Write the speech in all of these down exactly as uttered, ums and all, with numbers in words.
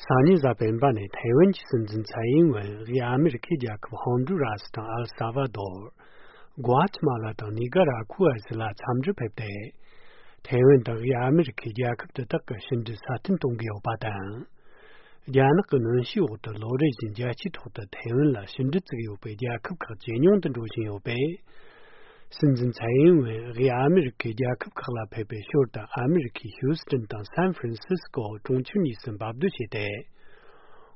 སང་ཉིན་གཟའ་སྤེན་པ་ནས་ཐའེ་ཝན་གྱི་སྲིད་འཛིན་ཚའེ་ཨིན་ཝེན་དབུས་ཨ་མི་རི་ཁའི་རྒྱལ་ཁབ་ཧོན་ཌུ་ར་སི་དང་ཨལ་ས་ཝ་དོར། གུ་ཨ་ཐི་མ་ལ་དང་ནི་ཀ་ར་ཁུ་ཨ་བཞི་ལ་འཚམས་འདྲིར་ཕེབས་ཏེ། ཐའེ་ཝན་དང་དབུས་ཨ་མི་རི་ཁའི་རྒྱལ་ཁབ་དེ་དག་གི་ཕྱི་འབྲེལ་སྲ་བརྟན་གཏོང་གི་ཡོད་པ་དང་། རྒྱ་ནག་གི་གནོན་ཤུགས་འོག་ཏུ་ལོ་རེ་བཞིན་རྒྱལ་སྤྱིའི་ཐོག་ཏུ་ཐའེ་ཝན་ལ་ཕྱི་འབྲེལ་བཙུགས་ཡོད་པའི་རྒྱལ་ཁབ་ཁག་ཇེ་ཉུང་དུ་འགྲོ་བཞིན་ཡོད་པས། སྲིད་འཛིན་ཚའེ་ཨིན་ཝེན་དབུས་ཨ་མི་རི་ཁའི་རྒྱལ་ཁབ་ཁག་ལ་ཕེབས་པའི་ཞོར་དུ་ཨ་མི་རི་ཁའི་ཧིའུ་སི་ཏན་དང་སན་ཧྥ་རན་སིས་ཀོ་གྲོང་ཁྱེར་གཉིས་སུ་འབབ་སྡོད་བྱས་ཏེ།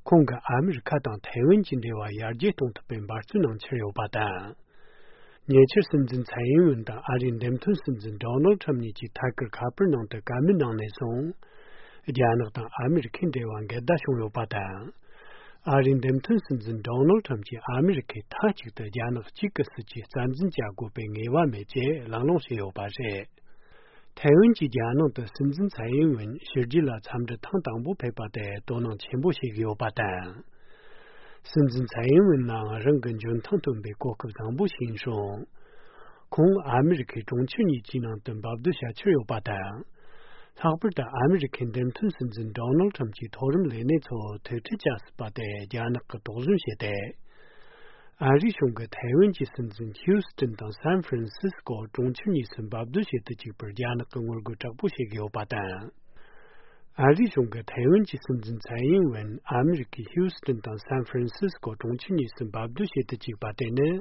ཁོང་གིས་ཨ་མི་རི་ཁ་དང་ཐའེ་ཝན་གྱི་འབྲེལ་བ་ཡར་རྒྱས་གཏོང་ཐུབ་པའི་འབད་བརྩོན་གནང་འཆར་ཡོད་པ་དང་། ཉེ་ཆར་སྲིད་འཛིན་ཚའེ་ཨིན་ཝེན་དང་ཨ་རིའི་འདེམས་ཐོན་སྲིད་འཛིན་ཌོ་ནལ་ཁྲམ་གཉིས་ཀྱིས་ཐད་ཀར་ཁ་པར་ནང་དུ་བཀའ་མོལ་གནང་ནས་བཟུང་། རྒྱ་ནག་དང་ཨ་མི་རི་ཁའི་འབྲེལ་བ་འགལ་ཟླ་བྱུང་ཡོད་པ་དང་། ཨ་རིའི་འདེམས་ཐོན་སྲིད་འཛིན་ཌོ་ནལ་ཁྲམ་གྱིས་ཨ་མི་རི་ཁས་མཐའ་གཅིག་ཏུ་རྒྱ་ནག་གཅིག་གི་སྲིད་ཇུས་རྩ་འཛིན་བྱ་དགོས་པའི་ངེས་པ་མེད་ཅེས་གླེང་སློང་བྱས་ཡོད་པ་རེད། ཐའེ་ཝན་གྱིས་རྒྱ་ནང་དུ་སྲིད་འཛིན་ཚའེ་ཨིན་ཝེན་ཕྱི་རྒྱལ་ལ་འཚམས་འདྲི་ཐེངས་དང་པོ་ཕེབས་པ་དེ་དོ་སྣང་ཆེན་པོ་བྱེད་ཀྱི་ཡོད་པ་དང་། སྲིད་འཛིན་ཚའེ་ཨིན་ཝེན་ནའང་རང་གི་འཇོན་ཐང་ཐོན་པའི་གོ་སྐབས་བཟང་པོ་ཞིག་ཡིན་སྲིད། ཁོང་ཨ་མི་རི་ཁའི་གྲོང་ཁྱེར་གཉིས་ཀྱི་ནང་དུ་འབབ་སྡོད་བྱ་འཆར་ཡོད་པ་དང་། ལྷག་པར་དུ་ཨ་མི་རི་ཁའི་འདེམས་ཐོན་སྲིད་འཛིན་ཌོ་ནལ་ཁྲམ་གྱི་མཐོ་རིམ་ལས་སྣེ་ཚོ་ཐུག་འཕྲད་བྱ་སྲིད་པ་དེ་རྒྱ་ནག་གིས་དོགས་ཟོན་བྱས་ཏེ། ཨ་རིའི་གཞུང་གིས་ཐའེ་ཝན་གྱི་སྲིད་འཛིན་ཧིའུ་སི་ཏན་དང་སན་ཧྥ་རན་སིས་ཀོ་གྲོང་ཁྱེར་གཉིས་སུ་འབབ་སྡོད་བྱེད་དུ་བཅུག་པར་རྒྱ་ནག་གིས་ངོ་རྒོལ་དྲག་པོ་བྱེད་ཀྱི་ཡོད་པ་དང་། ཨ་རིའི་གཞུང་གིས་ཐའེ་ཝན་གྱི་སྲིད་འཛིན་ཚའེ་ཨིན་ཝེན་ཨ་མི་རི་ཁའི་ཧིའུ་སི་ཏན་དང་སན་ཧྥ་རན་སིས་ཀོ་གྲོང་ཁྱེར་གཉིས་སུ་འབབ་སྡོད་བྱེད་དུ་བཅུག་པ་དེ་ནི།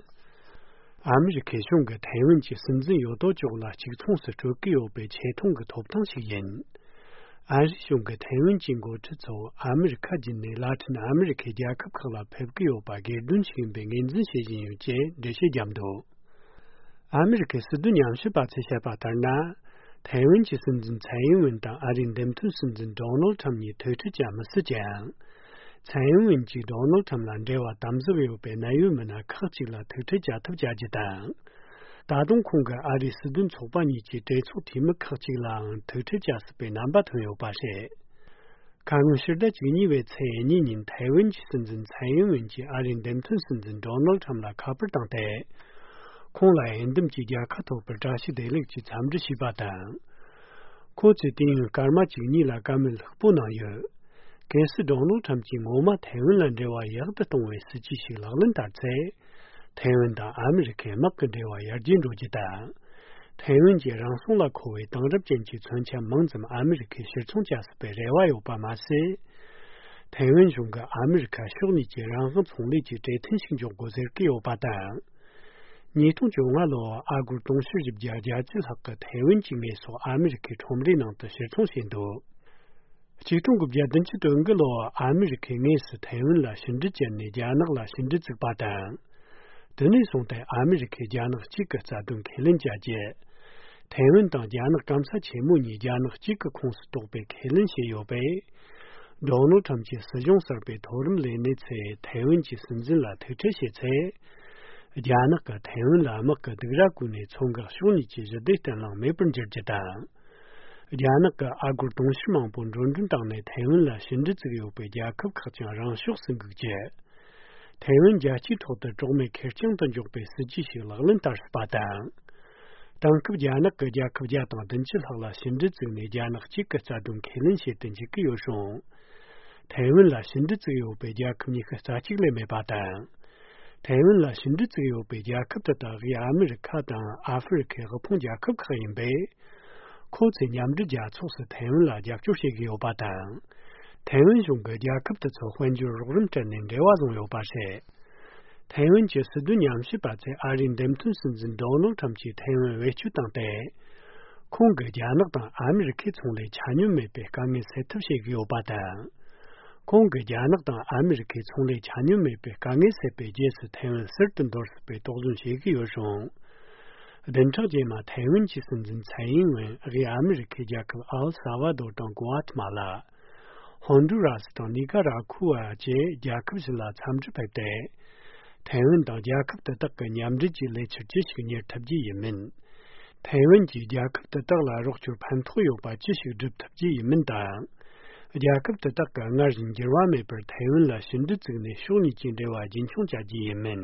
ཨ་མི་རི་ཁའི་གཞུང་གིས་ཐའེ་ཝན་གྱི་སྲིད་འཛིན་ཡོད་དོ་ཅོག་ལ་གཅིག་མཚུངས་སུ་སྤྲོད་ཀྱི་ཡོད་པའི་ཆེ་མཐོང་གི་ཐོབ་ཐང་ཞིག་ཡིན། ཨ་རིའི་གཞུང་གིས་ཐའེ་ཝན་གྱི་འགོ་ཁྲིད་ཚོ་ཨ་མི་རི་ཁ་བརྒྱུད་ནས་ལ་ཏིན་ཨ་མི་རི་ཁའི་རྒྱལ་ཁབ་ཁག་ལ་ཕེབས་ཀྱི་ཡོད་པ་སྒེར་དོན་ཞིག་ཡིན་པའི་ངོས་འཛིན་བྱེད་བཞིན་ཡོད་ཅེས་འགྲེལ་བཤད་བརྒྱབ་འདུག་ཨ་མི་རི་ཁའི་སྲིད་དོན་ཉམས་ཞིབ་པ་ཚོས་བཤད་པ་ལྟར་ན། ཐའེ་ཝན་གྱི་སྲིད་འཛིན་ཚའེ་ཨིན་ཝེན་དང་ཨ་རིའི་འདེམས་ཐོན་སྲིད་འཛིན་ཌོ་ནལ་ཁྲམ་གཉིས་ཐུག་འཕྲད་བྱ་མི་སྲིད་ཅིང་། ཚའེ་ཨིན་ཝེན་གྱིས་ཌོ་ནལ་ཁྲམ་ལ་འབྲེལ་བ་དམ་ཟབ་ཡོད་པའི་གནད་ཡོད་མི་སྣ་ཁག་ཅིག་ལ་ཐུག་འཕྲད་བྱ་ཐབས་བྱ་རྒྱུ་དང་། ད་དུང་ཁོང་གིས་ཨ་རིའི་སྲིད་དོན་ཚོགས་པ་གཉིས་ཀྱི་གྲོས་ཚོགས་འཐུས་མི་ཁག་ཅིག་ལའང་ཐུག་འཕྲད་བྱ་སྲིད་པའི་རྣམ་པ་ཐོན་ཡོད་པ་རེད། ཁ་སྔོན་ཕྱི་ཟླ་བཅུ་གཉིས་པའི་ཚེས་གཉིས་ཉིན་ཐའེ་ཝན་གྱི་སྲིད་འཛིན་ཚའེ་ཨིན་ཝེན་གྱིས་ཨ་རིའི་འདེམས་ཐོན་སྲིད་འཛིན་ཌོ་ནལ་ཁྲམ་ལ་ཁ་པར་བཏང་སྟེ། ཁོང་ལ་འོས་འདེམས་ཀྱི་རྒྱལ་ཁ་ཐོབ་པར་བཀྲ་ཤིས་བདེ་ལེགས་ཀྱི་འཚམས་འདྲི་ཞུས་པ་དང་། ཁོ་ཚོས་དུས་ཡུན་སྐར་མ་བཅུ་གཉིས་ལ་བཀའ་མོལ་ལྷུག་པོ་གནང་ཡོད། གལ་སྲིད་ཌོ་ནལ་ཁྲམ་གྱིས་ངོ་མ་ཐའེ་ཝན་ལ་འབྲེལ་བ་ཡག་ཏུ་གཏོང་བའི་སྲིད་ཇུས་ཤིག་ལག་ལེན་བསྟར་ཚེ། ཐའེ་ཝན་དང་ཨ་མི་རི་ཁའི་དམག་གི་འབྲེལ་བ་ཡར་རྒྱས་འགྲོ་རྒྱུ་དང་། ཐའེ་ཝན་གྱི་རང་སྲུང་ལ་མཁོ་བའི་དེང་རབས་ཅན་གྱི་མཚོན་ཆ་མང་ཙམ་ཨ་མི་རི་ཁས་ཕྱིར་ཚོང་བྱ་སྲིད་པའི་རེ་བ་ཡོད་པ་མ་ཟད། ཐའེ་ཝན་གཞུང་གིས་ཨ་མི་རི་ཁ་ཕྱོགས་གཉིས་ཀྱི་རང་དབང་ཚོང་ལས་ཀྱི་གྲོས་མཐུན་ཞིག་འཇོག་དགོས་ཟེར་གྱི་ཡོད་པ་དང་། ཉིས་སྟོང་བཅོ་ལྔ་ལོར་ཨ་སྒོར་དུང་ཕྱུར་བཞི་བརྒྱ་བརྒྱད་ཅུ་ལྷག་གི་ཐའེ་ཝན་གྱི་དངོས་ཟོག་ཨ་མི་རི་ཁའི་ཁྲོམ་རའི་ནང་དུ་ཕྱིར་ཚོང་བྱས་འདུག་ཆིག་སྟོང་དགུ་བརྒྱ་བདུན་ཅུ་དོན་དགུ་ལོར་ཨ་མི་རི་ཁས་དངོས་སུ་ཐའེ་ཝན་ལ་ཕྱི་འབྲེལ་བཅད་ནས་རྒྱ་ནག་ལ་ཕྱི་འབྲེལ་བཙུགས་པ་དང་། དེ་ནས་བཟུང་སྟེ་ཨ་མི་རི་ཁས་རྒྱ་ནག་གཅིག་གི་རྩ་དོན་ཁས་ལེན་བྱ་རྒྱུ། ཐའེ་ཝན་དང་རྒྱ་ནག་སྐམ་ས་ཆེན་མོ་གཉིས་རྒྱ་ནག་གཅིག་གི་ཁོངས་སུ་གཏོགས་པའི་ཁས་ལེན་བྱས་ཡོད་པས། ཌོ་ནལ་ཁྲམ་གྱི་སྲིད་གཞུང་གསར་པའི་མཐོ་རིམ་ལས་སྣེ་ཚོས་ཐའེ་ཝན་གྱི་སྲིད་འཛིན་ལ་ཐུག་འཕྲད་བྱས་ཚེ། རྒྱ་ནག་གིས་ཐའེ་ཝན་ལ་དམག་གི་སྡིགས་ར་བསྐུལ་ནས་མཚོ་འགག་ཕྱོགས་གཉིས་ཀྱི་ཞི་བདེ་བརྟན་ལྷིང་མེད་པར་འགྱུར་རྒྱུ་དང་། རྒྱ་ནག་གིས་ཨ་སྒོར་དུང་ཕྱུར་མང་པོ་འགྲོ་གྲོན་བཏང་ནས་ཐའེ་ཝན་ལ་ཕྱི་འབྲེལ་བཙུགས་ཡོད་པའི་རྒྱལ་ཁབ་ཁག་ཀྱང་རང་ཕྱོགས་སུ་འགུག་རྒྱུ། ཐའེ་ཝན་རྒྱལ་སྤྱིའི་ཐོག་ཏུ་གྲོགས་མེད་ཁེར་རྐྱང་དུ་འཇོག་པའི་སྲིད་ཇུས་ཤིག་ལག་ལེན་བསྟར་སྲིད་པ་དང་། དེང་སྐབས་རྒྱ་ནག་གི་རྒྱལ་ཁབ་བརྒྱ་དང་བདུན་ཅུ་ལྷག་ལ་ཕྱི་འབྲེལ་བཙུགས་ནས་རྒྱ་ནག་གཅིག་གི་རྩ་དོན་ཁས་ལེན་བྱེད་དུ་འཇུག་གི་ཡོད་རུང་། ཐའེ་ཝན་ལ་ཕྱི་འབྲེལ་བཙུགས་ཡོད་པའི་རྒྱལ་ཁབ་ཉི་ཤུ་རྩ་གཅིག་ལས་མེད་པ་དང་། ཐའེ་ཝན་ལ་ཕྱི་འབྲེལ་བཙུགས་ཡོད་པའི་རྒྱལ་ཁབ་དེ་དག་དབུས་ཨ་མི་རི་ཁ་དང་ཨ་ཧྥེ་རི་ཁའི་དབུལ་ཕོངས་རྒྱལ་ཁབ་ཁག་ཡིན་པས། ཁོ་ཚོས་མཉམ་འབྲེལ་རྒྱལ་ཚོགས་སུ་ཐའེ་ཝན་ལ་རྒྱབ་སྐྱོར་བྱེད་ཀྱི་ཡོད་པ་དང་། ཐའེ་ཝན་གཞུང་གིས་རྒྱལ་ཁབ་དེ་ཚོ་དཔལ་འབྱོར་རོགས་རམ་སྤྲད་ནས་འབྲེལ་བ་བཟུང་ཡོད་པ་རེད། ཐའེ་ཝན་གྱི་སྲིད་དོན་ཉམས་ཞིབ་པ་ཚོས་ཨ་རིའི་འདེམས་ཐོན་སྲིད་འཛིན་ཌོ་ནལ་ཁྲམ་གྱིས་ཐའེ་ཝན་བེད་སྤྱོད་བཏང་སྟེ། ཁོང་གིས་རྒྱ་ནག་དང་ཨ་མི་རི་ཁའི་ཚོང་ལས་ཆ་སྙོམས་མེད་པའི་དཀའ་ངལ་སེལ་ཐབས་བྱེད་ཀྱི་ཡོད་པ་དང་། ཁོང་གིས་རྒྱ་ནག་དང་ཨ་མི་རི་ཁའི་ཚོང་ལས་ཆ་སྙོམས་མེད་པའི་དཀའ་ངལ་སེལ་བའི་རྗེས་སུ་ཐའེ་ཝན་ཟུར་དུ་འདོར་སྲིད་པའི་དོགས་ཟོན་བྱེད་ཀྱི་ཡོད་རུང་། བདུན་ཕྲག་རྗེས་མ་ཐའེ་ཝན་གྱི་སྲིད་འཛིན་ཚའེ་ཨིན་ཝེན་དབུས་ཨ་མི་རི་ཁའི་རྒྱལ་ཁབ་ཨལ་ས་ཝ་དོར་དང་གུ་ཨ་ཐི་མ་ལ། ཧོན་ཌུ་ར་སི་དང་ནི་ཀ་ར་ཁུ་ཝ་བཅས་རྒྱལ་ཁབ་བཞི་ལ་འཚམས་འདྲིར་ཕེབས་ཏེ། ཐའེ་ཝན་དང་རྒྱལ་ཁབ་དེ་དག་གི་མཉམ་འབྲེལ་གྱི་ལས་འཆར་ཅི་ཞིག་གཉེར་ཐུབ་རྒྱུ་ཡིན་མིན། ཐའེ་ཝན་གྱིས་རྒྱལ་ཁབ་དེ་དག་ལ་རོགས་སྐྱོར་ཕན་ཐོགས་ཡོད་པ་ཅི་ཞིག་སྒྲུབ་ཐུབ་རྒྱུ་ཡིན་མིན་དང་། རྒྱལ་ཁབ་དེ་དག་གིས་སྔར་བཞིན་འགྱུར་བ་མེད་པར་ཐའེ་ཝན་ལ་ཕྱི་འབྲེལ་བཙུགས་ནས་ཕྱོགས་གཉིས་ཀྱི་འབྲེལ་བ་རྒྱུན་འཁྱོངས་བྱ་རྒྱུ་ཡིན་མིན།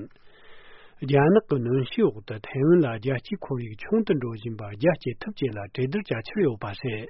རྒྱ་ནག་གི་གནོན་ཤུགས་འོག་ཏུ་ཐའེ་ཝན་ལ་རྒྱལ་སྤྱིའི་ཁོར་ཡུག་ཆུང་དུ་འགྲོ་བཞིན་པ་རྒྱ་སྐྱེད་ཐབས་བཅས་ལ་གྲོས་བསྡུར་བྱ་འཆར་ཡོད་པ་རེད།